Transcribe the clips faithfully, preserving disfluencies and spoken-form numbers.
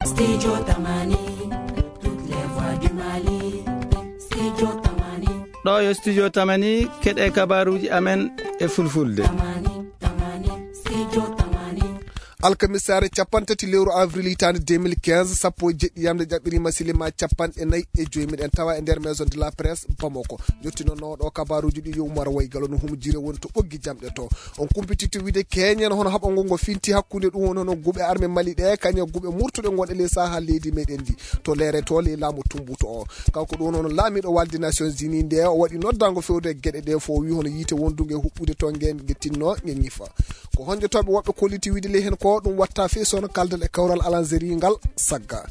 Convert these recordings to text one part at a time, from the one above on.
Studio Tamani, toutes les voix du Mali. Studio Tamani. Ɗo yo Studio Tamani, keɗe kabaruuji amen e fulfulde. Tamani, Tamani, Studio Tamani. Alkamisaare capanɗe tati lewru avril hitaande deux mille quinze, sappo e jeɗɗi yamde ƴaɓɓiriima silima capanɗe nayi e joyi. Miɗen tawa e nder Maison de la Presse Bamako. Jottinono ɗo kabaruuji ɗi yo Umar Waygalo no humjire woni to ɓoggi jamɗe to. On kumpititti wiide keñen hono haɓa ngo ngo finti hakkunde ɗum woni hono guɓe arme Mali ɗe, kañe guɓe murtuɗe gonɗe ley saha leydi meɗen ndi. To leere to ley laamu tumbuto o. Kanko ɗum woni hono laamiɗo walde Nations Unies nde o waɗi noddango fewde e geɗe ɗe fof, o wi hono yiite wondunge huɓɓude to nge nge tinno nge ñifa. Ko honjotoɓe woɓɓe kolliti wiide ley hen ko ɗum watta fii sono kaldal e kawral Alanzeri ngal sagga.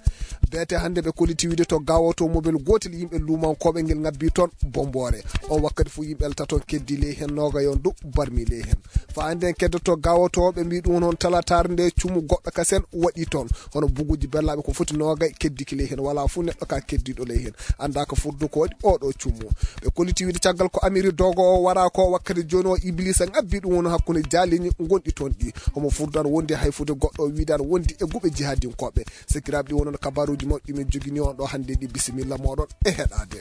Beete hannde ɓe kolliti wiide to gawoto mobel gotel yimɓe lumankoɓe ngel ngabbi toon bombore. On wakkati fof yimɓe elta toon keddi ley hen noga yon du barmi ley hen. Fa hannde en keddoto gawoto ɓe mbi ɗum hono talatare nde cumu goɗɗo kasen waɗi toon. Hono buguji bellaɓe ko foti noga keddiki ley hen wala fof neɗɗo ka keddiɗo ley hen. Annda ko furdu ko waɗi oɗo cumu. Ɓe kolliti wiide caggal ko Amiri Dogo o wara ko wakkati joni o Iblisa ngabbi ɗum woni hakkunde jaliñi gonɗi toon ɗi. Homo furdan wondi hay fude goɗɗo o wiidan wondi e guɓe jihadinkoɓe. Sekiraɓe ɗi wonon kabaruji mawɗi min jogini on ɗo hannde ɗi bisimilla moɗon e heɗade.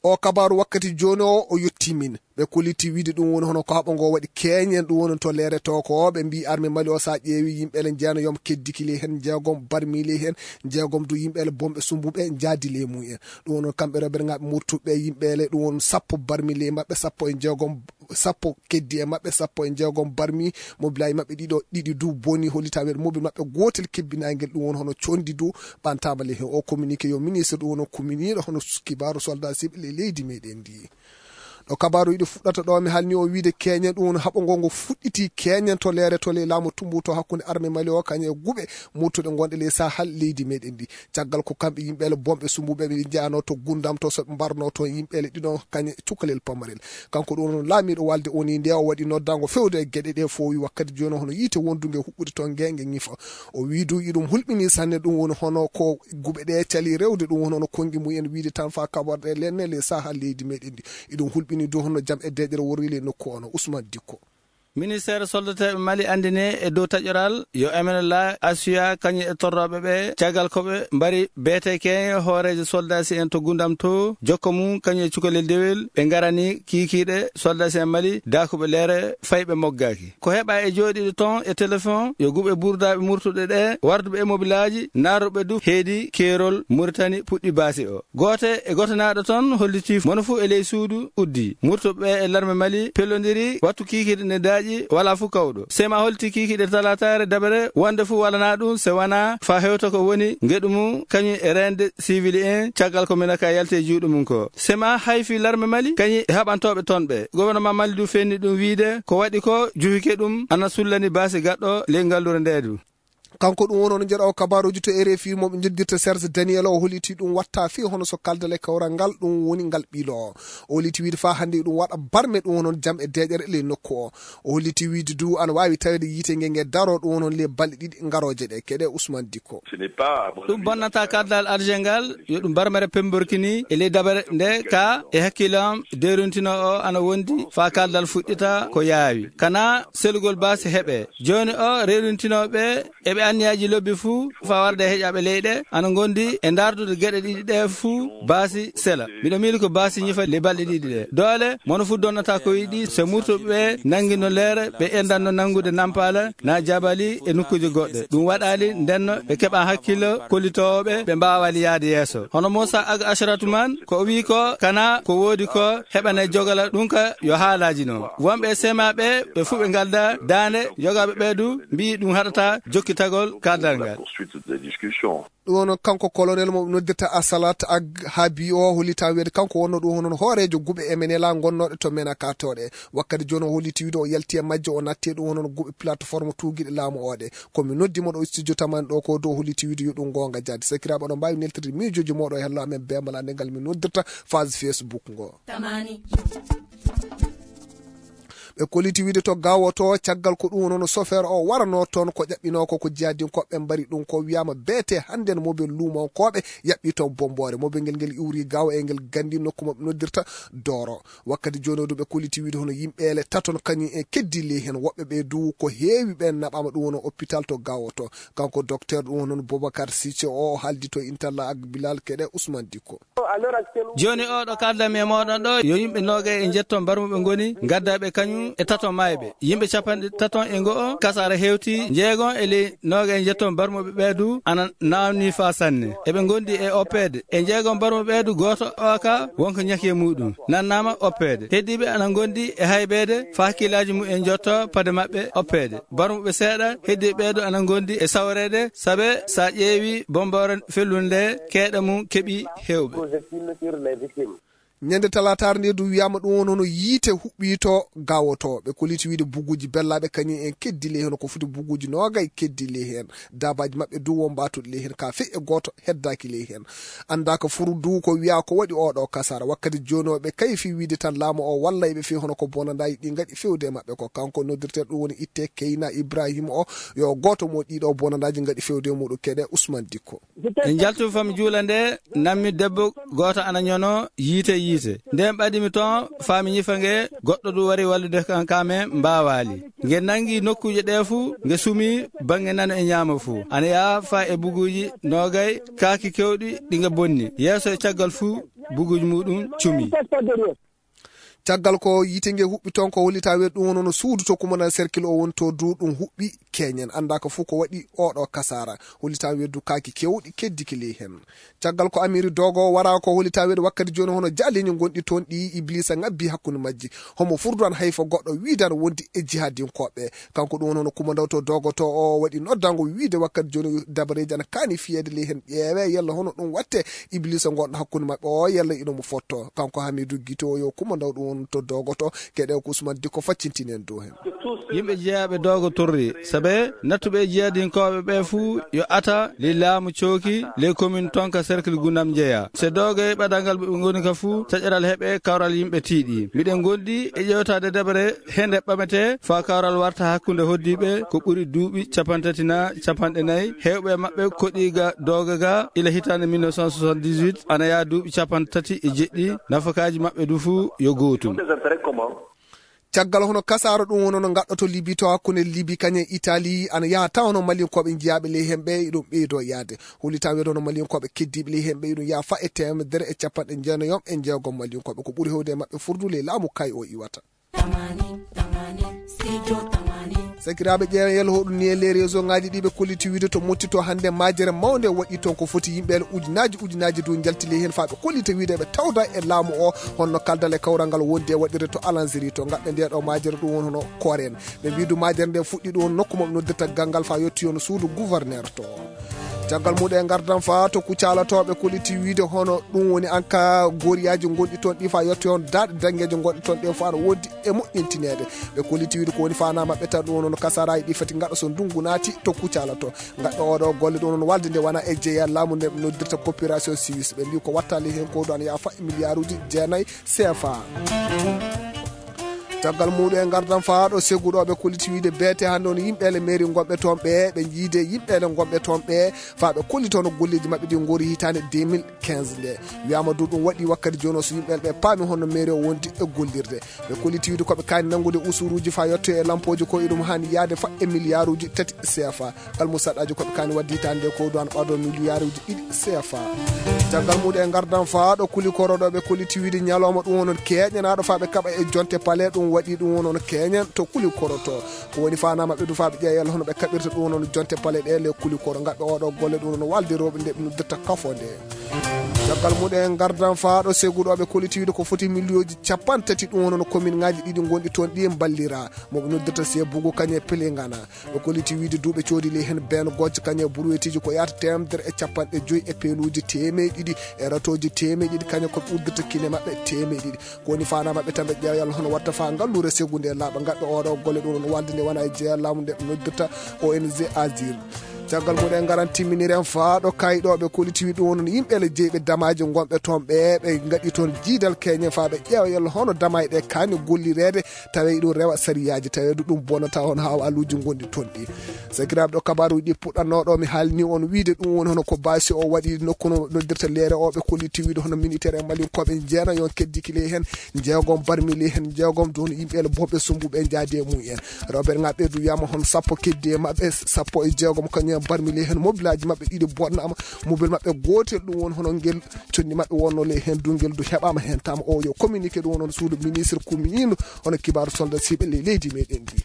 O kabaru wakkati joni o, o yotti min. Ɓe kolliti wiide ɗum woni hono ko haɓa ngo waɗi keñen ɗum woni to leere to ko ɓe mbi arme Mali o sa ƴeewi yimɓe ele jeeno yom keddiki ley hen jeegom barmi ley hen jeegom du yimɓe ele bomɓe sumbuɓe jaadi ley mum en. Ɗum woni kamɓe rewɓe ngaɓe murtuɓe yimɓe ele ɗum woni sappo barmi ley maɓɓe sappo e jeegom sappo keddi e maɓɓe sappo e jeegom barmi mobilaji maɓɓe ɗiɗo ɗiɗi du boni holita weɗ mobil maɓɓe gotel kebbinagel ɗum woni hono condi du ɓantama ley hen o communiqué yo ministre ɗum woni communiɗo hono kibaru soldat siɓe ley leydi meɗen ndi. Ɗo kabaru yiɗi fuɗɗata ɗo mi halni o wiide keñen ɗum woni haɓa ngo ngo fuɗɗiti keñen to leere to ley laamu tumbuto hakkunde arme Mali o kañe e guɓe murtuɗe gonɗe ley sahal leydi meɗen ndi. Caggal ko kamɓe yimɓe ele bomɓe sumbuɓe ɓe jeyano to gundam to soɓe mbarno toon yimɓe ele ɗiɗon kañe cukalel pamarel. Kanko ɗum woni laamiɗo walde oni nde o waɗi noddango fewde e geɗe ɗe fowi wakkati joni hono yiite wonduge huɓɓude toon nge nge ñifa. O wi du iɗum hulɓini sanne ɗum woni hono ko guɓe ɗe cali rewde ɗum woni hono kongi mumen wiide tan fa kaɓorɗe lenne ley saha leydi meɗen ndi. Iɗum hulɓini du hono jam e deƴere worri ley nokku ono Ousmane Dikko. Ministeere soldateeɓe Mali anndine e dow taƴoral yo M N L A assuya kañum e torrooɓe ɓe caggal ko ɓe mbari beete keeñe hooreejo soldaasi en to Gundam to jokka mum kañum e cukalel dewel ɓe ngarani kiikiiɗe soldaasi en Mali daakuɓe leere fayɓe moggaaki. Ko heɓa e jooɗiiɗo toon e telefon yo guɓe burdaaɓe murtuɗe ɗe warduɓe e mobilaaji naarruɓe du heedi keerol Muritani puɗɗi baasi o. Goote e gootanaaɗo toon hollitii mono fuu e ley suudu uddi. Murtuɓe e larme Mali pellondiri wattu kiikiiɗe ne daaƴi walaa fuu kawɗo. Sema hollitii kiikiiɗe talataare dabere wonde fuu walanaa ɗum se wanaa faa hewta ko woni ngeɗu mum kañum e reende siwili en caggal ko Menaka yalti e juuɗe mum ko. Sema hayfii larme Mali kañum e haɓantooɓe toon ɓe. Gouvernement Mali du fenni ɗum wiyde ko waɗi ko juhike ɗum ana sullani baasi gaɗɗo ley ngallure ndee du. Kanko ɗum woni on jeɗo kabaruji to R F I mo ɓe joddirta Serge Daniel o holiti ɗum watta fi hono so kaldal e kawral ngal ɗum woni ngal ɓiilo o. O holiti wiide fa hannde ɗum waɗa barme ɗum woni on jam e deƴere ley nokku o. O holiti wiide du ana wawi tawede yiite nge nge daro ɗum woni on ley balɗe ɗiɗi ngaroje ɗe keɗe Ousmane Dikko. Ɗum bonnata kaldal arje ngal yo ɗum barmere pemborkini e ley dabare nde ka e hakkillo am derintino o ana wondi fa kaldal fuɗɗita ko yaawi kana selugol baasi heɓe. Joni o rewlintinoɓe eɓe anniyaaji lobbi fuu faa warde e heƴaaɓe leyɗe ana ngondi e ndaardude geɗe ɗiɗi ɗe fuu baasi sela. Miɗo miili ko baasi ñifa le balɗe ɗiɗi ɗe. Doole mono fuu donnata ko yiɗi so murtuɓe ɓe nanngino leere ɓe endanno nanngude nampaala na jabali e nokkuuje goɗɗe. Ɗum waɗaali ndenno ɓe keɓa hakkillo kollitooɓe ɓe mbaawali yaade yeeso. Hono Moussa Ag Ashratu man ko o wii ko kana ko woodi ko heɓane jogala ɗum ka yo haalaaji noon. Wonɓe e sema ɓe ɓe fuu ɓe ngalda daande yogaaɓe ɓe du mbiyi ɗum haɗata jokkitagol kaldal ngal. Ɗum woni kanko colonel mo ɓe noddirta Asalat Ag Habi o hollita wiyde kanko wonno ɗum hono hooreejo guɓe M N L A gonnooɗe to Menaka toɗe. Wakkati jooni o holliti wiyde o yalti e majje o natti e ɗum hono guɓe plateforme tuugiɗe laamu oɗe. Ko mi noddi mo ɗo studio tamani ɗo ko dow holliti wiyde yo ɗum goonga jaadi. Sakiraaɓe oɗon mbaawi neltirde miijooji mooɗo e hello amen beembala nde ngal mi noddirta phase Facebook ngo. Tamani. Ɓe kolliti wiide to Gaawo to, caggal ko ɗum woni hono sofeer o waranoo toon, ko ƴaɓɓinoo ko, ko jihadinkoɓe mbari ɗum. Ko wiyaama beete hannden mobel luumonkooɓe yaɓɓi toon bomboore. Mobel ngel, ngel iwri Gaawo e ngel ganndi nokku mo ɓe noddirta Dooro. Wakkati jooni o du ɓe kolliti wiide hono yimɓeele taton kañum en keddi ley heen. Woɓɓe ɓe du ko heewi ɓeen naɓaama ɗum woni hôpital to Gaawo to. Kanko docteur ɗum woni hono Boubacar Cissé o haaldi to Intalla ak Bilal Keɗe Ousmane Dikko. Jooni o ɗo kaldanmi e mooɗon ɗo, yo yimɓe noogay e njetto mbarmuɓe ngoni, gaddaɓe kañum e tato mayɓe. Yimɓe capanɗe taton e go'o, kasaara hewti, jeegon e ley noogay e njetto mbarmuɓe ɓeedu ana naamni faa sanne. Eɓe ngondi e oppeede. E jeegon mbarmuɓe ɓeedu, gooto o ka wonko ñaki e muɗum, nannaama oppeede. Heddiiɓe ana ngondi e haybeede, faa hakkillaaji mum en njotto pade maɓɓe oppeede. Mbarmuɓe seeɗa, heddiiɓe ɓeedu ana ngondi e sawreede, sabe sa ƴeewi bomboore fellunde, keeɗa mum keɓi heewɓe. Ñande talaataare nde du wiyaama ɗum woni hono yiite huɓɓi to Gaawo to. Ɓe kolliti wiide buguuji bellaaɓe kañum en keddi ley heen, ko foti buguuji noogay keddi ley heen. Daabaaji maɓɓe du won mbaatuɗi ley heen, ka fey e gooto heddaaki ley heen. Anndaaka furu du ko wiyaa ko waɗi oo ɗoo kasaara. Wakkati jooni o ɓe kayfi wiide tan laamu o walla ɓe fii hono ko bonandaaji ɗi ngaɗi fewde e maɓɓe ko. Kanko noddirteeɗo ɗum woni itte Keyna Ibrahima o, yo gooto mo ɗiɗo bonandaaji ngaɗi fewde e muɗum. Keɗe Ousmane Dikko. En njaltu fami juula nde, nammi debbo gooto ana ñono yiite yiite. Nden ɓadimi toon, fami ñifa nge, goɗɗo ɗum wari wallude kan, ka men mbaawaali. Nge nangi nokkuuje ɗe fuu, nge sumi baŋŋe nano e ñaamo fuu. Ana yaha faa e buguuji noogay, kaaki kewɗi ɗi nge bonni. Yeeso e caggal fuu, buguuji muɗum cumi. Caggal ko yiite nge huɓɓi toon, ko hollitaa weedu ɗum woni hono suudu to kumandan cercle o woni to du ɗum huɓɓi keñen. Anndaaka fuu ko waɗi oo ɗoo kasaara. Hollitaa weedu kaaki kewɗi keddiki ley heen. Caggal ko Amiiri Doogo wara ko hollitaa weedu wakkati jooni hono jaaliiñi ngonɗi toon ɗi Ibliisa ŋabbi hakkunde majji. Homo furdu an hayfa goɗɗo wiidan wondi e jihadinkooɓe. Kanko ɗum woni hono kumandaw to Doogo to o waɗi noddango wiide wakkati jooni dabareeji ana kaani fiyeede ley heen ƴeewe yalla hono ɗum watte Ibliisa ngonɗo hakkunde maɓɓe o yalla ino mo fotto. Kanko Hamiidu Gito yo kumandaw ɗum woni to Doogo to keɗe ko Usman Dikko faccintini en dow heen. Yimɓe jeyaaɓe Doogo torri, sabe nattuɓe e jihadinkooɓe ɓe fuu yo ata ley laamu cooki ley commune toon ka cercle Gundam njeya. Se Doogo e ɓadal ngal ɓe ngoni ka fuu, taƴaral heɓe kawral yimɓe tiiɗi. Miɗen ngondi e ƴeewtaade dabare hende ɓamete faa kawral warta hakkunde hoddiiɓe ko ɓuri duuɓi capantati naa capanɗe nayi. Heewɓe maɓɓe koɗi ga Doogo ga ila hitaande mille neuf cent soixante-dix-huit, ana yaha duuɓi capantati e jeɗɗi. Nafakaaji maɓɓe du fuu yo gootum. Caggal hono kasaara ɗum woni no ngaɗɗoto Libi to hakkunde Libi kañum e Italie, ana yaha tawa hono Malinkooɓe njiyaaɓe ley heen ɓe iɗum ɓeydo yaade. Hollitaa weedo hono Malinkooɓe keddiiɓe ley heen ɓe iɗum yaha fa e teemedere e capanɗe jeenayi e jeegom Malinkooɓe. Ko ɓuri heewde e maɓɓe furdu ley laamu kay o iwata. Sakiraaɓe ƴeewen yel hoɗum ni e les réseau ngaji ɗi ɓe kolliti wiide to motti to hannde majere mawnde waɗi toon ko foti yimɓe el ujunaaji ujunaaji du njalti ley heen faa ɓe kollita wiide ɓe tawda e laamu o honno kaldal e kawral ngal wondi e waɗirde to Alanziri to ngaɗɗe nde ɗo majere ɗum woni hono Koren. Ɓe mbii du majere nde fuɗɗi ɗum woni nokku mo ɓe noddirta Gangal faa yotti hono suudu gouverneur to. Caggal muɗum e ngardan faa to Kucala to ɓe kolliti wiide hono ɗum woni anka goriyaaji ngonɗi toon ɗi faa yotti hono daaɗe dangeeje ngonɗe toon ɗe faa no wondi e moƴƴintineede. Ɓe kolliti wiide ko woni faanaa maɓɓe tan ɗum woni hono kasaraaji ɗi fati ngaɗa so ndungu naati to Kucala to. Ngaɗɗo oɗo golle ɗum woni walde nde wona e jeeya laamu nde ɓe noddirta coopération suisse. Ɓe mbii ko wattali heen ko ɗo ana yaha fa e miliyaaruuji jeenayi C F A. Caggal muɗum e ngardan faa ɗo seguɗo ɓe kolliti wiide beete hannde on yimɓe ele mairie ngonɓe toon ɓe, ɓe jiide yimɓe ele ngonɓe toon ɓe faa ɓe kollita hono golleeji maɓɓe ɗi ngori hitaande deux mille quinze nde. Wiyaama du ɗum waɗi wakkati jooni o so yimɓe ele ɓe paami honno mairie o wondi e gollirde. Ɓe kolliti wiide ko ɓe kaani nanngude usuruuji faa yetto e lampooji ko iɗum haani yahde fa e miliyaaruuji tati C F A. Almusaɗɗaaji ko ɓe kaani waɗde hitaande nde ko duwaan ɓaado miliyaaruuji ɗiɗi C F A. Caggal muɗum e ngardan faa ɗo Kulikoro ɗo ɓe kolliti wiide ñalawma ɗum woni on keeñanaaɗo faa ɓe kaɓa e jonte pale ɗum waɗi ɗum woni on keeñan to Kulikoro to. Ko woni faanaa maɓɓe du faa ɓe ƴeewa yalla hono ɓe kaɓirta ɗum woni on jonte pale ɗe le Kulikoro ngaɗɓe oɗo golle ɗum woni on walde rewɓe nde ɓe noddirta kafo nde. Caggal muɗum e ngardan faa ɗo seguɗo ɓe kolliti wiide ko foti miliyooji capanɗe tati ɗum woni on commune ngaaji ɗiɗi ngonɗi toon ɗi mballira mo ɓe noddirta Sebugu kañe Pelengana. Ɓe kolliti wiide duuɓe coodi ley heen been gojjo kañe burwetiiji ko yahata teemedere e capanɗe joyi e peeluuji teemeɗe ɗiɗi e ratooji teemeɗe ɗiɗi kañe ko ɓe uddata kine maɓɓe teemeɗe ɗiɗi. Ko woni faanaa maɓɓe tan ɓe ƴeewa yalla hono watta faa ngalluure segunde laaɓa ngaɗɗo oɗo golle ɗum woni walde nde wona e jeeya laamu nde ɓe noddirta O N G Azir. Caggal mum en ngaran timminiren faa ɗo kayɗooɓe kolliti wi ɗum wonno yimɓe le jeyɓe damaaji gonɓe toon ɓe ɓe ngaɗi toon jiidal keñen faa ɓe ƴeewa yalla hono damaaji ɗe kaani gollireede tawa ɗum rewa sariyaaji tawa ɗum bonata hono haa waaluuji gonɗi toon ɗi. Sakiraaɓe ɗo kabaaruuji ɗi puɗɗannooɗo mi haalni on wiide ɗum woni hono ko baasi o waɗi nokku no noddirta leere o ɓe kolliti wiide hono militaire e malinkooɓe jeena yon keddiki ley heen jeegom barmili heen jeegom ɗum yimɓe le boɓɓe sumbuɓe jaadi e mum en. Rewɓe ɓe ngaɓe du wiyama hon sappo keddi e maɓɓe sappo e jeegom kañum en barmili heen mobilaaji maɓɓe ɗiɗi bonnama mobil maɓɓe gootel ɗum woni hono ngel conndi maɓɓe wonno ley heen du ngel du heɓama heen tama o yo communiqué ɗum woni hono suudu ministre kuminino hono kibaaru soldat siɓe ley leydi meɗen ndi.